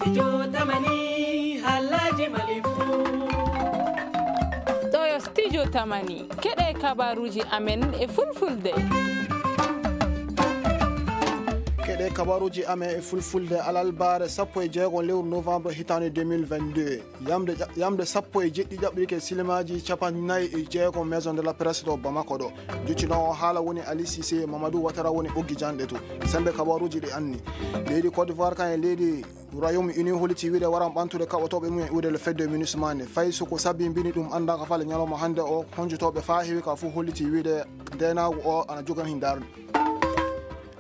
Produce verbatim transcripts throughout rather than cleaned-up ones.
Studio Tamani, halaji Mali fu. Ɗo yo Studio Tamani, keɗe kabaruji amen e fulfulde. Keɗe kabaruji amen e fulfulde alalbaare sappo e jeego lewru novembre hitaande deux mille vingt-deux. Yamde ƴa-, yamde sappo e jeɗɗi ƴaɓɓirike silimaaji capanɗe nayi e jeego Maison de la Presse ɗo Bamako ɗo. Joccinoowo haala woni Ali Cissé, Mamadou Ouattara woni ɓoggi janɗe to. Sembe kabaruji ɗi anni. Leydi Côte d'Ivoire kan e leydi Royaume Uni holliti wiide waran ɓantude kaɓotooɓe mum e iwde le fedde minusma nde. Fay so ko sabi mbini ɗum anndaaka fale ñalawma hannde o, honjotooɓe faa heewi ka fof holliti wiide ndeenaagu o ana jogani hin darnde.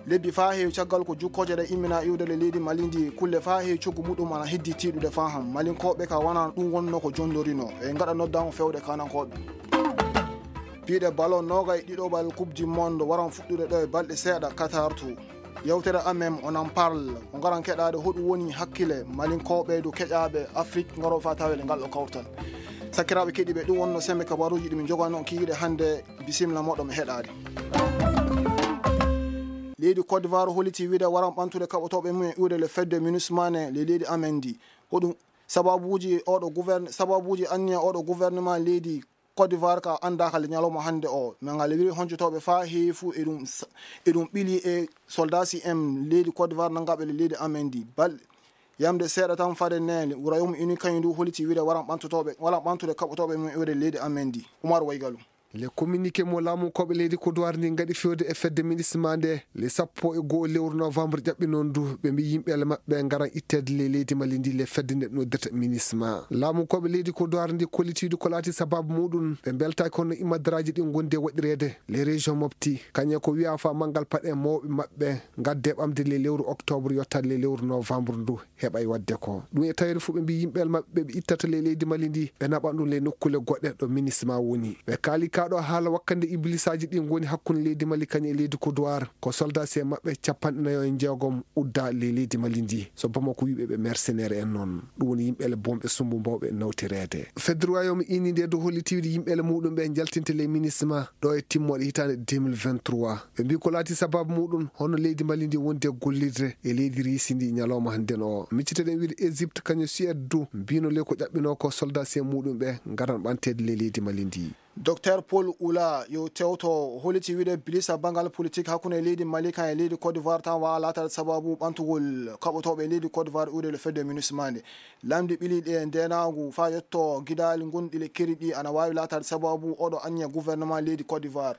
Lebbi faa heewi caggal ko jukkooje ɗe immina iwde le leydi Mali ndi, kulle faa heewi coggu muɗum ana heddi tiiɗude faa han. Malinkooɓe ka wonaa ɗum wonno ko jondorino. E ngaɗa noddaango fewde kanankooɓe. Piiɗe ballon noogay ɗiɗoɓal Coupe du Monde waran fuɗɗude ɗo e balɗe seeɗa Qatar to. Yewtere amen On en parle, o ngaran keɗaade hoɗum woni hakkille Malinkooɓe dow keƴaaɓe Afrik ngarooɓe faa tawede ngal ɗo kawtal. Sakiraaɓe keɗiiɓe, ɗum wonno sembe kabaruuji ɗi min njogano on kikiiɗe hannde. Bisimilla moɗon mi heɗaade. Leydi Côte d'Ivoire holliti wiide waran ɓantude kaɓotooɓe mum e iwde le fedde minusma ne le leydi amen ndi. Hoɗum sababuuji oɗo gouverne-, sababuuji anniya oɗo gouvernement leydi Côte d'Ivoire ka anndaaka le ñalawma hannde o. Min ngal wiri honjotooɓe faa heewi fuu e ɗum sa-, e ɗum ɓili e soldasi en leydi Côte d'Ivoire nanngaɓe le leydi amen ndi. Bal-, yamde seeɗa tan fade ne, Royaume Uni kañum ndu holliti wiide waran ɓantotooɓe, waran ɓantude kaɓotooɓe mum e iwde leydi amen ndi. Umar Waygalu. Le communiqué mo laamu koɓe leydi Côte d'Ivoire ndi ngaɗi fewde e fedde minusma nde, le sappo e go'o lewru novembre ƴaɓɓinon ndu, ɓe mbi yimɓe le maɓɓe ngaran itteede le leydi Mali ndi le fedde nde noddirta minusma. Laamu koɓe leydi Côte d'Ivoire ndi kollitiidu ko laati sababu muɗum, ɓe mbeltaaki hono imadaraaji ɗi ngondi e waɗireede le région Mopti, kañe ko wiya fa manngal paɗe mawɓe maɓɓe ngadde ɓamde le lewru octobre yottaade le lewru novembre ndu. Heɓay waɗde ko ɗum e tawere fof ɓe mbi yimɓe maɓɓe ɓe ittata le leydi Mali ndi, ɓe naɓan ɗum le nokkule goɗɗe ɗo minusma woni. Ɓe kaali ka ɗo haala wakkande iblisaaji ɗi ngoni hakkunde leydi Mali kañum e leydi Côte d'Ivoire, ko soldats en maɓɓe capanɗe nayo e jeegom udda le leydi Mali ndi, so Bamako wiɓe ɓe mercenaires en noon. Ɗum woni yimɓe le bonɓe sumbu mbawɓe nawtireede. Fedde Royaume Uni nde du holliti wiide yimɓe le muɗum ɓe jaltinte le minusma ɗo e timmoɗe hitaande deux mille vingt-trois. Ɓe mbi ko laati sababu muɗum hono leydi Mali ndi wondi e gollirde e leydi Riisi ndi ñalawma hannde o. Micciteɗen wiide Égypte kañum Suède du mbino le ko ƴaɓɓino ko soldats en muɗum ɓe ngaran ɓanteede le leydi Mali ndi. Docteur Paul Oula yo tewto holliti wiide bilisa banngal politique hakkunde leydi Mali kan e leydi Côte d'Ivoire tan waawa laataade sababu ɓantugol kaɓotooɓe e leydi Côte d'Ivoire iwde le fedde minusma nde. Lamɗi ɓiliiɗi e ndeenaagu faa yetto gidaali gonɗi le keri ɗi ana waawi laataade sababu oɗo anniya gouvernement leydi Côte d'Ivoire.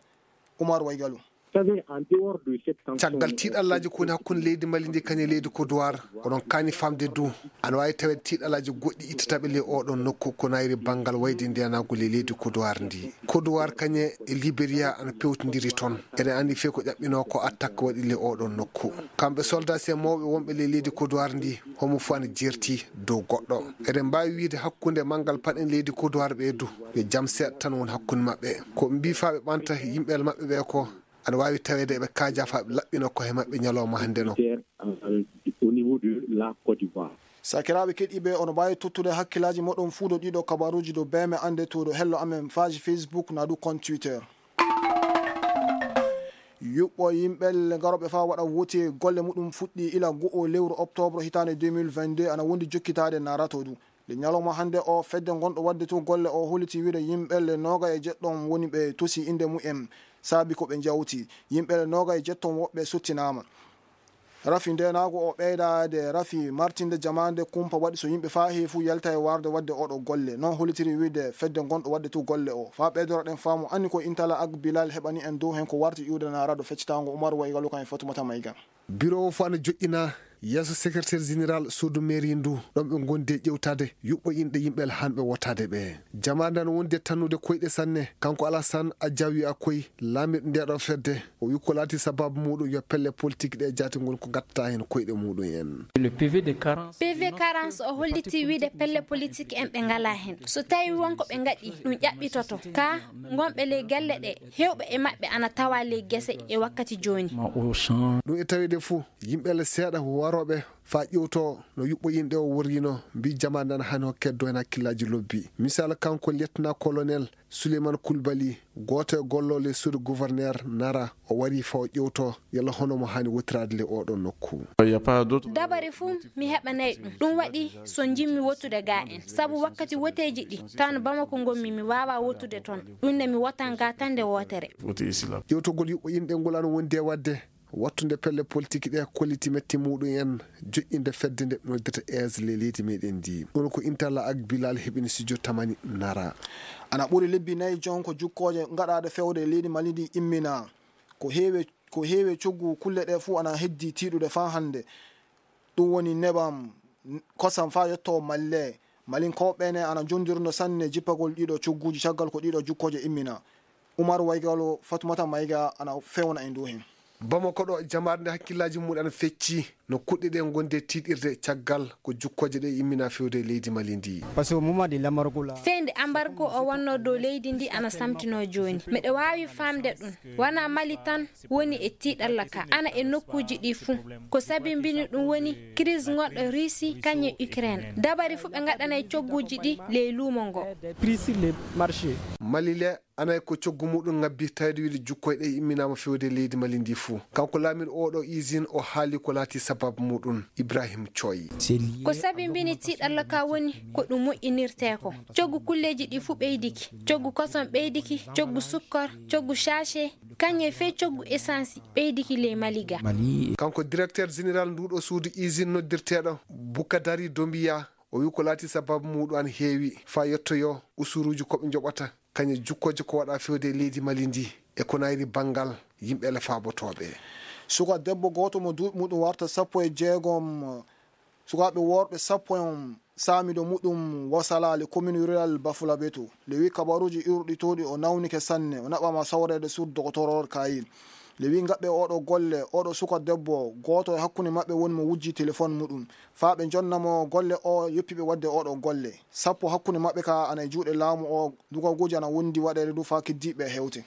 Umar Waygalu. Caggal tiiɗallaaji ko woni hakkunde leydi Mali ndi kañum e leydi Côte d'Ivoire, oɗon kaani faamde du, ana waawi taweede tiiɗallaaji goɗɗi ittataɓe ley oɗon nokku ko nayri banngal wayde ndeenaagu ley leydi Côte d'Ivoire ndi. Côte d'Ivoire kañum e Libéria ana pewtindiri toon. Eɗen anndi fii ko ƴaɓɓinoo ko attaque waɗi ley oɗon nokku. Kamɓe soldats en mawɓe wonɓe ley leydi Côte d'Ivoire ndi, homo fof ana jeerti dow goɗɗo. Eɗen mbaawi wiide hakkunde manngal paɗen leydi Côte d'Ivoire ɓe du, yo jam seeɗa tan woni hakkunde maɓɓe. Ko ɓe mbii faa ɓe ɓanta yimɓe maɓɓe ɓe ko ana waawi taweede eɓe kaajaa faa ɓe laɓɓina ko he maɓɓe ñalawma hannde no. Sakiraaɓe keɗiiɓe, ono mbaawi tottude hakkillaaji moɗon fuu ɗo ɗiɗo kabaruuji ɗo beeme annde to ɗo hello amen page Facebook naa du compte Twitter. Yuɓɓo yimɓe le ngarooɓe faa waɗa woti golle muɗum fuɗɗi ila go'o lewru octobre hitaande deux mille vingt-deux ana wondi jokkitaade naarato du. Le ñalawma hannde o fedde ngonɗo waɗde to golle o holliti wiide yimɓe le nooga e jeɗɗo woni ɓe tosi innde mumen saabi ko ɓe njawti. Yimɓe le nooga e jeɗɗo woɓɓe sottinaama. Rafi ndeenaagu o ɓeydaade rafi martinde jamaande kumpa waɗi so yimɓe faa heewi fuu yalta e warde waɗde oɗo golle. Noon hollitiri wiide fedde ngonɗo waɗde to golle o. Faa ɓeydoroɗen faamu anni ko Intala Ak Bilal heɓani en dow heen ko warti iwde naaraɗo feccitaango Umar Waygalu kan e Fatumata Mayga. Biro o fof ana joƴƴina yeeso secrétaire général suudu mairie ndu, ɗon ɓe ngondi e ƴewtaade yuɓɓo inɗe yimɓe hanɓe wotaade ɓe. Jamaande ana wondi e tannude koyɗe sanne. Kanko Alassane Adjawi Akoy, laamiiɗo nde ɗo fedde, o wi ko laati sababu muɗum yo pelle politique ɗe jaati ngoni ko gattata heen koyɗe muɗum en. P V quarante o holliti wiide pelle politique en ɓe ngalaa heen. So tawi won ko ɓe ngaɗi, ɗum ƴaɓɓitoto. Ka ngonɓe ley galle ɗe, heewɓe e maɓɓe ana tawa ley gese e wakkati jooni. Ɗum e taweede fof, yimɓe le seeɗa Rooɓe faa ƴewtoo no yuɓɓo inɗe o worrino, mbii jamaande ana haani hokkee doyna hakkillaaji lobbi. Misal, kanko Lieutenant Colonel Souleymane Koulibaly, gooto e gollooɓe suudu gouverneur Nara, o warii faa o ƴewtoo yalla hono mo haani wottiraade le oɗo nokku. Dabare fuu mi heɓanay ɗum. Ɗum waɗi so njimmi wottude ga en. Sabu wakkati woteeji ɗi, tan Bamako ngonmi, mi waawaa wottude toon. Ɗum ne mi wotan ga tan nde wootere. Ƴewtogol yuɓɓo inɗe ngol ana wondi e waɗde wattude pelle politik ɗe kolliti metti muɗum en joƴƴinde fedde nde noddata E S le leydi meɗen ndi. Ɗum ko Intala ak Bilal heɓini studio Tamani Nara. Ana ɓuri lebbi nayi jon ko jukkooje ngaɗaaɗe fewde e leydi Mali ndi immina. Ko heewe, ko heewe coggu kulle ɗe fuu ana heddi tiiɗude faa hannde. Ɗum woni nebam, kosam faa yotto Mali le. Malinkooɓe ne ana jondirno sanne jippagol ɗiɗo cogguuji caggal ko ɗiɗo jukkooje immina. Umar Waygalo, Fatumata Mayga ana fewna e ndu heen. Bamako ɗo, jamaare nde hakkillaaji mum ana fecci no kuɗɗe ɗe ngondi e tiiɗirde caggal ko jukkooje ɗe immina fewde e leydi Mali ndi. Parce que au moment de l'embargo là, fende ambargo o wonno dow leydi ndi ana samtino jooni. Miɗo waawi faamde ɗum. Wona Mali tan woni e tiiɗalla ka, ana e nokkuuji ɗi fuu. Ko sabimbini ɗum woni crise gonɗo Russie kañum e Ukraine. Dabari fuu ɓe ngaɗanay cogguuji ɗi ley luumo ngo. Prix sur le marché. Mali le, anay ko coggu muɗum ngabbi tawde wiide jukkoy ɗe imminaama fewde leydi Mali ndi fuu. Kanko laamiiɗo oɗo usine o haali ko laati sababu muɗum. Ibrahim Coy. Ko sabimbini tiiɗalla ka woni ko ɗum moƴƴinirtee ko. Coggu kulleeji ɗi fuu ɓeydiki. Coggu kosom ɓeydiki, coggu sukkor, coggu sachet, kañum e fee coggu essence ɓeydiki ley Mali ga. Kanko directeur général nduɗo suudu usine noddirteeɗo Bukadari Dombiya, o wi ko laati sababu muɗum ana heewi faa yettoyo usuruuji ko ɓe njoɓata kañum e jukkooje ko waɗa fewde e leydi Mali ndi e ko nayri banngal yimɓe le faabotooɓe. Suka debbo gooto mo duuɓi muɗum warta sappo e jeegom, sukaaɓe worɓe sappo en saamido muɗum wasalaali commune rural Bafulabeto. Lewi kabaruuji iwruɗi towɗi o nawnike sanne, o naɓama sawreede sur dogotoror Kayil. Lewi ngaɓɓe oɗo golle, oɗo suka debbo, gooto e hakkunde maɓɓe woni mo wujji telefon muɗum. Faa ɓe jonna mo golle o yoppi ɓe waɗde oɗo golle. Sappo hakkunde maɓɓe ka ana e juuɗe laamu o, dugaguuji ana wondi waɗeede du faa keddiiɓe hewte.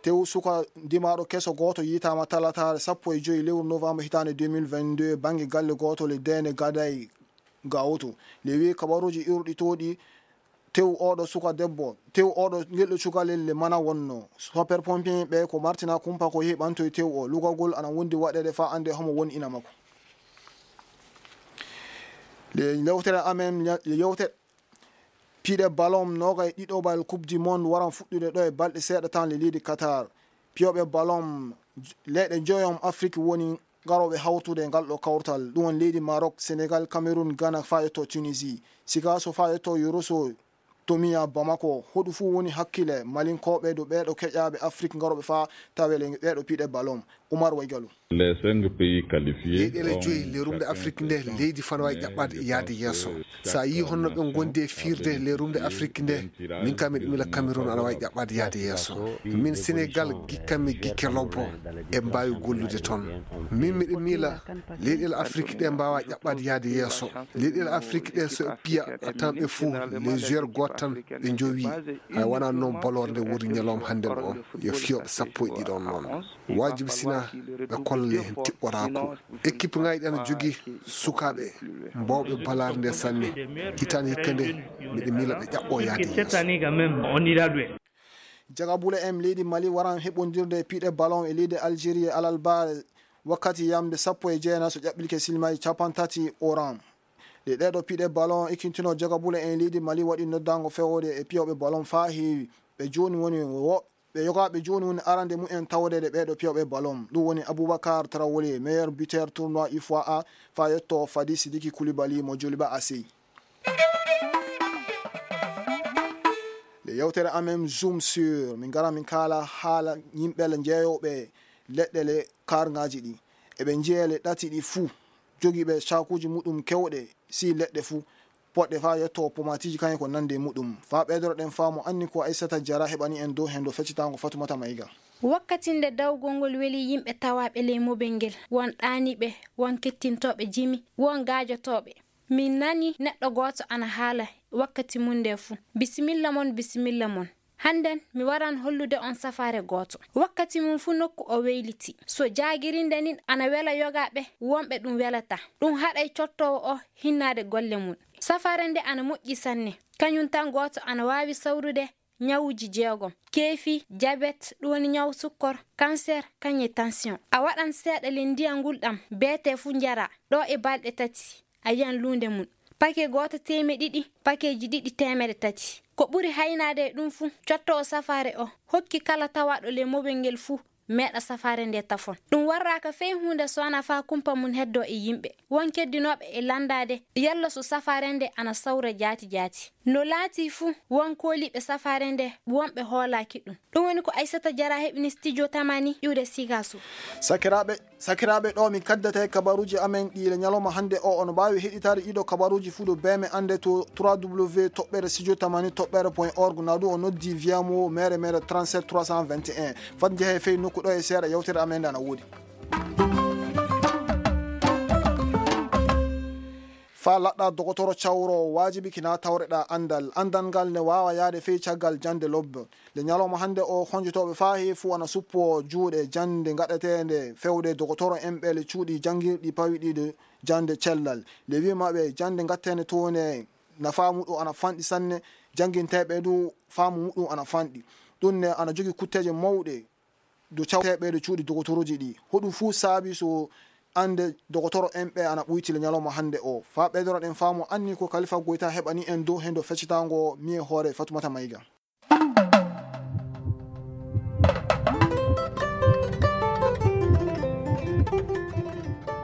Tew suka ndimaaɗo keso gooto yiytaama talataare sappo e joy lewru novembre hitaande deux mille vingt-deux bannge galle gooto le Deene Gaday Gawoto. Lewi kabaruuji iwruɗi towɗi tew oɗo suka debbo, tew oɗo ngelɗo cukalel le mana wonno. Super pompier ɓe ko Martina Kumpa ko yehi ɓantoy tew o. Lugagol ana wondi waɗeede faa annde homo woni ina makko. Le yewtere amen, le yewtere piɗe ballon noga e ɗiɗo bal Coupe du Monde waran fuɗɗude ɗo e balɗe seeɗa tan le leydi Qatar. Piyoɓe ballon leyɗe joyon Afrik woni garooɓe hawtude e ngal ɗo kawtal. Ɗum woni leydi Maroc, Sénégal, Cameroun, Ghana faa yetto Tunisie. Sikaso faa yetto Yoroso Tomiya Bamako. Hoɗu fuu woni hakkile Malinkooɓe dow ɓeeɗo keƴaaɓe Afrik garooɓe faa tawee le ɓeeɗo piɗe ballon. Umar Waygalu. Les cinq pays qualifiés. Leyɗeele joyi le rumde Afrik nde, leydi fof ana waawi ƴaɓɓaade yaade yeeso. So a yii honno ɓe ngondi e fiirde le rumde Afrik nde, min kam miɗo miila Cameroun ana waawi ƴaɓɓaade yaade yeeso. Min Sénégal, gikkanmi gikke lobbo, en mbaawi gollude toon. Min miɗo miila leyɗeele Afrik ɗe mbaawaa ƴaɓɓaade yaade yeeso. Leyɗeele Afrik ɗe so e piya a tan ɓe fuu les joueurs gooto tan ɓe njowi. Hay wonaa noon boloor nde woni ñalawma hannde o, yo fiyooɓe sappo e ɗiɗo on noon. Waajibi sina ɓe kolla le heen tiɓɓoraako. Équipe ŋaaji ɗi ana jogii sukaaɓe mbawɓe balaade nde sanne. Hitaande hikka nde miɗo miila ɓe ƴaɓɓo yaade yeeso. Jagabule en leydi Mali waran heɓondirde e piɗe ballon e leydi Algérie e alalbaare wakkati yamde sappo e jeenayi so ƴaɓɓilke silmaji capantati oran. Ɗe ɗeɗo piɗe ballon ikkintino jagabule en leydi Mali waɗi noddango fewde e piyoɓe ballon faa heewi. Ɓe jooni woni wo-, ɓe yogaaɓe jooni woni arande mumen tawdeede ɓeeɗo piyoɓe ballon. Ɗum woni Aboubacar Traoré, meilleur buteur tournoi U F O A A, faa yetto Fadi Sidiki Koulibaly mo Joliba A C. Le yewtere amen Zoom sur, min ngara min kaala haala yimɓe le njeeyooɓe leɗɗe le kaarŋaaji ɗi. Eɓe njeeya le ɗati ɗi fuu, jogiiɓe caakuuji muɗum kewɗe, si leɗɗe fuu, poɗɗe faa yetto pomatiiji kañum ko nande muɗum. Faa ɓeydoroɗen faamu anni ko Aissata Diarra heɓani en dow heen dow feccitaango Fatumata Mayga. Wakkati nde dawgol ngol weli yimɓe tawaaɓe ley mobel ngel, won ɗaaniiɓe, won kettintooɓe jimi, won gaajotooɓe. Min nani neɗɗo gooto ana haala wakkati mum nde fuu. Bisimilla mon, bisimilla mon. Hannden mi waran hollude on safaare gooto. Wakkati mum fuu nokku o weyliti. So jaagirinde nin ana wela yogaaɓe, wonɓe ɗum welata. Ɗum haɗay cottoowo o hinnaade golle mum. Safaare nde ana moƴƴi sanne. Kañum tan gooto ana waawi sawrude ñawuuji jeegom. Keefi, jabet, ɗum woni ñaw sukkor, kanser, kañum e tansiyoŋ. A waɗan seeɗa ley ndiyan ngulɗam, beetee fuu njara, ɗoo e balɗe tati. A yiyan luunde mum. Pake gooto teemeɗe ɗiɗi, pakeeji ɗiɗi teemeɗe tati. Ko ɓuri haynaade e ɗum fuu, cottoowo safaare o hokki kala tawaaɗo ley mobel ngel fuu meeɗa safaare nde tafon. Ɗum warraaka fey huunde so wanaa faa kumpa mum heddoo e yimɓe. Won keddinooɓe e lanndaade yalla so safaare nde ana sawra jaati jaati. No laatii fuu, won kooliiɓe safaare nde, wonɓe hoolaaki ɗum. Ɗum woni ko Aysata Jara heɓini Studio Tamani iwde Sigaso. Sakiraaɓe, sakiraaɓe, ɗo min kaddata e kabaruuji amen ɗi le ñalawma hannde o. Ono mbaawi heɗitaade ɗiɗo kabaruuji fuu ɗo beeme annde to trois W toɓɓere studio tamani toɓɓere point org, na du o noddi via mo mere mere trente-sept trois cent vingt et un. Fat njehe fey nokku ɗo e seeɗa yewtere amen nde ana woodi. Faa laɗɗa dogotoro cawro, waajibi kina tawreɗa anndal. Anndal ngal ne waawa yaade fey caggal jannde lobbo. Le ñalawma hannde o, honjotooɓe faa heewi fuu ana suppoo juuɗe jannde ngaɗeteende fewde dogotoro en ɓe le cuuɗi janngirɗi pawiɗiiɗo jannde cellal. Le wi'i maɓɓe jannde ngaɗeteende toon ne na faamu ɗum ana fanɗi sanne, jannginteeɓe du faamu muɗum ana fanɗi. Ɗum ne ana jogii kutteeje mawɗe do cawteeɓe do cuuɗi dogotorooji ɗi. Hoɗum fuu saabi so annde dogotoro en ɓe ana ɓuyti le ñalawma hannde o. Faa ɓeydoroɗen faamu anni ko Kalifa Goyta heɓani en dow hendo feccitaango mi e hoore Fatumata Mayga.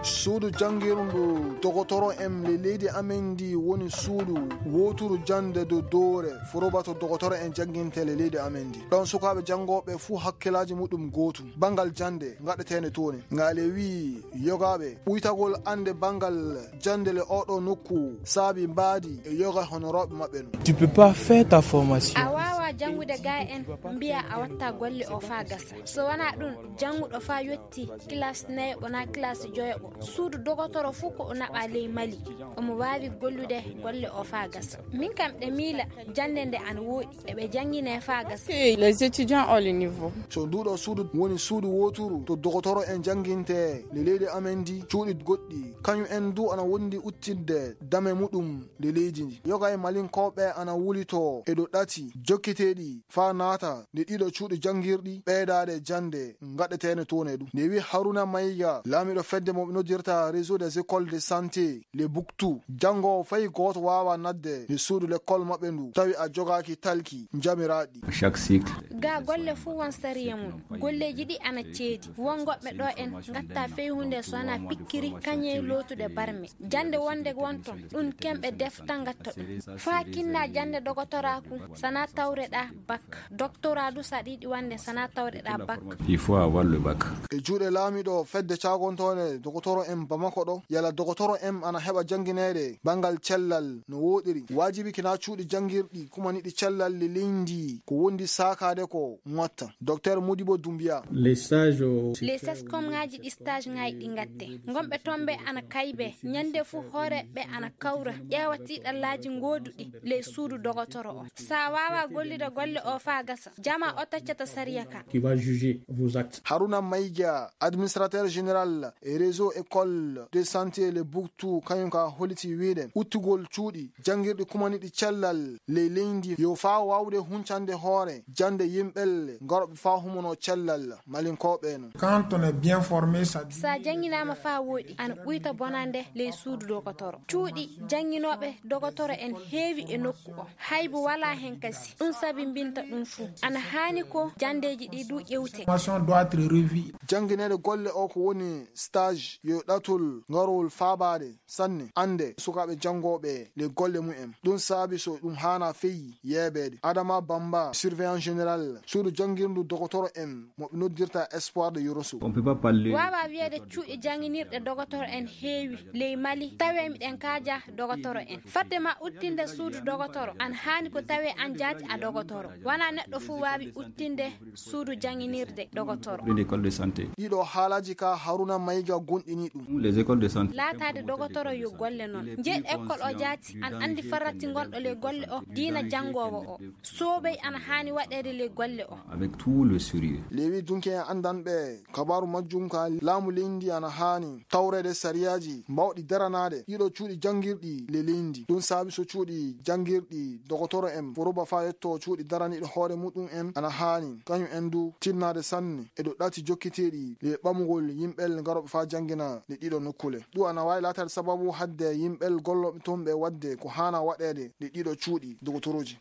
Suudu janngirndu dogotoro en le leydi amen ndi woni suudu wooturu jannde do doore forobato dogotoro en jannginte le leydi amen ndi. Ɗon sukaaɓe janngooɓe fuu hakkilaaji muɗum gootum. Banngal jannde ngaɗeteende toon ne. Ngaale wi'i yogaaɓe ɓuytagol annde banngal jannde le oɗo nokku saabi mbaadi e yoga honorooɓe maɓɓe no. Tu peux pas faire ta formation. A waawaa janngude gaa en mbiyaa a watta golle o faa gasa. So wanaa ɗum, jannguɗo faa yotti kilaas nayaɓo naa kilaas joyaɓo, suudu dogotoro fuu ko o naɓaa ley Mali, omo waawi gollude golle o faa gasa. Min kam ɗe miila jannde nde ana wooɗi, eɓe janngine faa gasa. Les étudiants ont le niveau. So nduuɗo suudu woni suudu wooturu to dogotoro en jannginte le leydi amen ndi, cuuɗi goɗɗi, kañum en du ana wondi uttinde dame muɗum le leydi ndi. Yoga e malinkooɓe ana wulito e ɗo ɗati jokkiteeɗi faa naata nde ɗiɗo cuuɗi janngirɗi ɓeydaade jannde ngaɗeteene toon e ɗum. Nde wi'i Haruna Mayga, laamiiɗo fedde mo ɓe noddirta Réseau des écoles de santé, le Buktu, janngoowo fay gooto waawaa nadde nde suudu lekkol maɓɓe ndu, tawi a jogaaki talki njamiraaɗi. Chaque cycle. Gaa golle fuu won sariya mum. Golleeji ɗi ana ceedi. Won goɗɓe ɗo en ngatta fey huunde so wanaa pikkiri, kañe lootude barme. Jannde wonde won ton, ɗum kemɓe defta ngatta ɗum. Faa kinna jannde dogotoraaku, sana tawreɗaa bak. Doktoraa du saɗi ɗi wonde sana tawreɗaa bak. Il faut avoir le bac. E juuɗe laamiiɗo fedde caagontoonde dogotoro en Bamako ɗo, yala dogotoro en ana heɓa janngineede banngal cellal no wooɗiri. Waajibi kina cuuɗi janngirɗi kumaniɗi cellal le leydi ko wondi saakaade ko ŋotta. Docteur Modibo Doumbia. Les stages au Les sescomŋaaji ɗi stage ŋaaji ɗi ngatte. Ngonɓe toon ɓe ana kaybe, ñande fuu hoore ɓe ana kawra, ƴeewa tiiɗallaaji gooduɗi ley suudu dogotoro o. Sa waawa gollude golle o faa gasa, jama o taccata sariya ka. Qui va juger vos actes. Haruna Mayga, administrateur général e réseau école de santé le Buktu, kañum ka holiti wiide uttugol cuuɗi janngirɗi kumaniɗi cellal ley leydi yo faa waawde huncande hoore jannde yimɓe ngarooɓe faa humono cellal malinkooɓe no. Quand on est bien formé, ça Sa jannginaama faa wooɗi, ana ɓuyta bonande ley suudu dokotoro. Cuuɗi jannginooɓe dokotoro en heewi e nokku o. Haybu walaa hen kasi. Ɗum sabi mbinta ɗum fuu. Ana haani ko janndeeji ɗi du ƴewte. Formation doit être revue. Janngineede golle o ko woni stage yo ɗatul ngarowol faabaade sanne annde sukaaɓe janngooɓe le golle mumen. Ɗum saabi so ɗum haana feyi yeebeede. Adama Bamba, surveillant général, suudu janngirndu dokotoro en mo ɓe noddirta Espoir de Yoroso. On peut pas parler Waawaa wiyeede cuuɗi jannginirɗe dokotoro en heewi ley Mali, tawee miɗen kaaja dokotoro en. Fadde ma uttinde suudu dokotoro, an haani ko tawee an jaati a dokotoro. Wanaa neɗɗo fuu waawi uttinde suudu jannginirde dokotoro. Une école de santé. Ɗiɗo haalaaji ka Haruna Mayga gonɗini ɗum. Les écoles de santé. Laataade dogotoro yo golle noon. Njeeɗ école o jaati, an anndi farratti ngonɗo ley golle o, diina janngoowo o. Soobey ana haani waɗeede ley golle o. Avec tout le sérieux. Lewi dunke en anndan ɓe. Kabaaru majjum ka laamu leydi ana haani tawreede sariyaaji mbawɗi daranaade ɗiɗo cuuɗi janngirɗi le leydi. Ɗum saabi so cuuɗi janngirɗi dogotoro en foroba faa yetto cuuɗi daraniiɗo hoore muɗum en ana haani kañum en du tinnaade sanne e dow ɗati jokkiteeɗi le ɓamugol yimɓel ngarooɓe faa janngina le ɗiɗo nokkule. Ɗum ana waawi laataade sababu hadde yimɓel gollooɓe toon ɓe waɗde ko haana waɗeede le ɗiɗo cuuɗi dogotorooji.